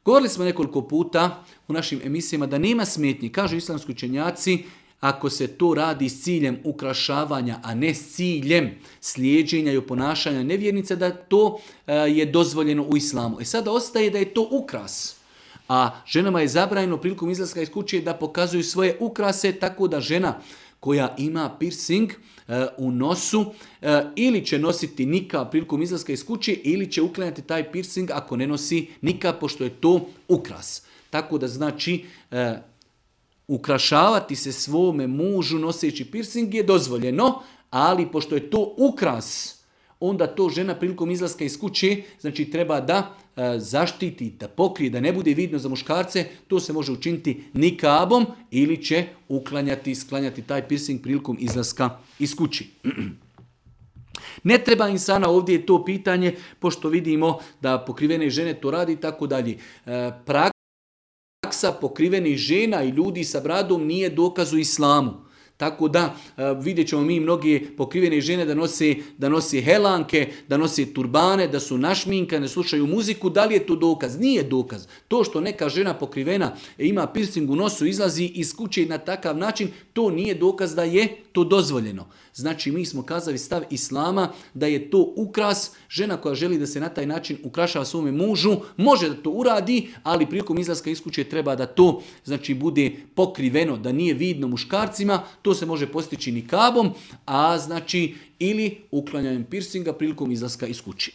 Govorili smo nekoliko puta u našim emisijama da nema smetnji. Kažu islamski učenjaci, ako se to radi s ciljem ukrašavanja, a ne s ciljem slijeđenja i oponašanja nevjernica, da to je dozvoljeno u islamu. Sada ostaje da je to ukras. A ženama je zabranjeno prilikom izlaska iz kuće da pokazuju svoje ukrase, tako da žena koja ima piercing u nosu ili će nositi nikab prilikom izlaska iz kuće ili će uklanjati taj piercing ako ne nosi nikab, pošto je to ukras. Tako da znači ukrašavati se svome mužu noseći piercing je dozvoljeno, ali pošto je to ukras, onda to žena prilikom izlaska iz kuće znači treba da zaštiti, da pokrije, da ne bude vidno za muškarce. To se može učiniti nikabom ili će sklanjati taj piercing prilikom izlaska iz kuće. Ne treba insana, ovdje je to pitanje, pošto vidimo da pokrivene žene to radi i tako dalje. Praksa pokrivenih žena i ljudi sa bradom nije dokaz u islamu. Tako da vidjet ćemo mi mnoge pokrivene žene da nose helanke, da nose turbane, da su našminkane, da slušaju muziku. Da li je to dokaz? Nije dokaz. To što neka žena pokrivena ima piercing u nosu, izlazi iz kuće na takav način, to nije dokaz da je to dozvoljeno. Znači mi smo kazali stav islama da je to ukras. Žena koja želi da se na taj način ukrašava svome mužu, može da to uradi, ali prilikom izlaska iz kuće treba da to znači bude pokriveno, da nije vidno muškarcima. To se može postići nikabom, a znači ili uklanjanjem piercinga prilikom izlaska iz kuće.